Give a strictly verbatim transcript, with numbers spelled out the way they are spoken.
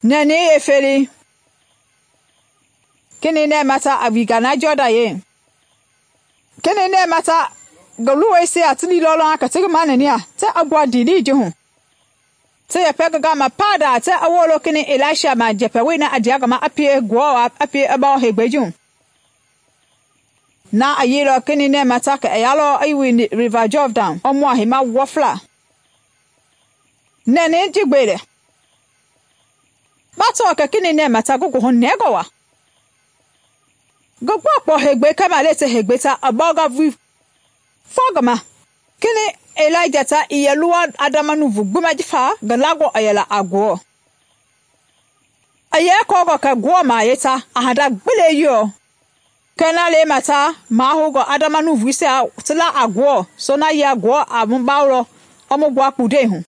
Nɛni yefeli kini nɛ mata a wiga na Jɔdan ye kini nɛ mata ngi luwɔisia ti liilɔ lɔŋa kɛ ti ngi manɛnia ti a gbua ndilii ji hu ti yɛpɛ ngi gama paadaa ti a woolo kini Elisha ma njɛpɛwoi na a ndea ngi ma a pie Ngewɔ a pie i bawo heegbɛi ji hu. Na a yeilɔ kini nɛ mata kɛ i yalɔ i wini River Jordan i mua heima wɔfla. Nɛni ji gbe lɛ ba tɔɔ kɛ kini nɛ mata ngi goohu nɛngɔ wa ngi gbɔkpɔ heegbɛi kɛmale ti heegbɛi ta i bɔɔnga vui fɔ ngi ma kini Elija ta i yɛ luwa adama nuuvu gbima jifa ngi langɔ i yɛla a Ngewɔ. I yɛ kɔɔngɔ kɛ Ngewɔ mahayɛi ta a handa gbi yeilɔ kɛ na lema ta mahoungɔ adama nuuvuisia ti la a Ngewɔ so na yia Ngewɔ a mu bawolɔ i mu gbua kpundɛi hu.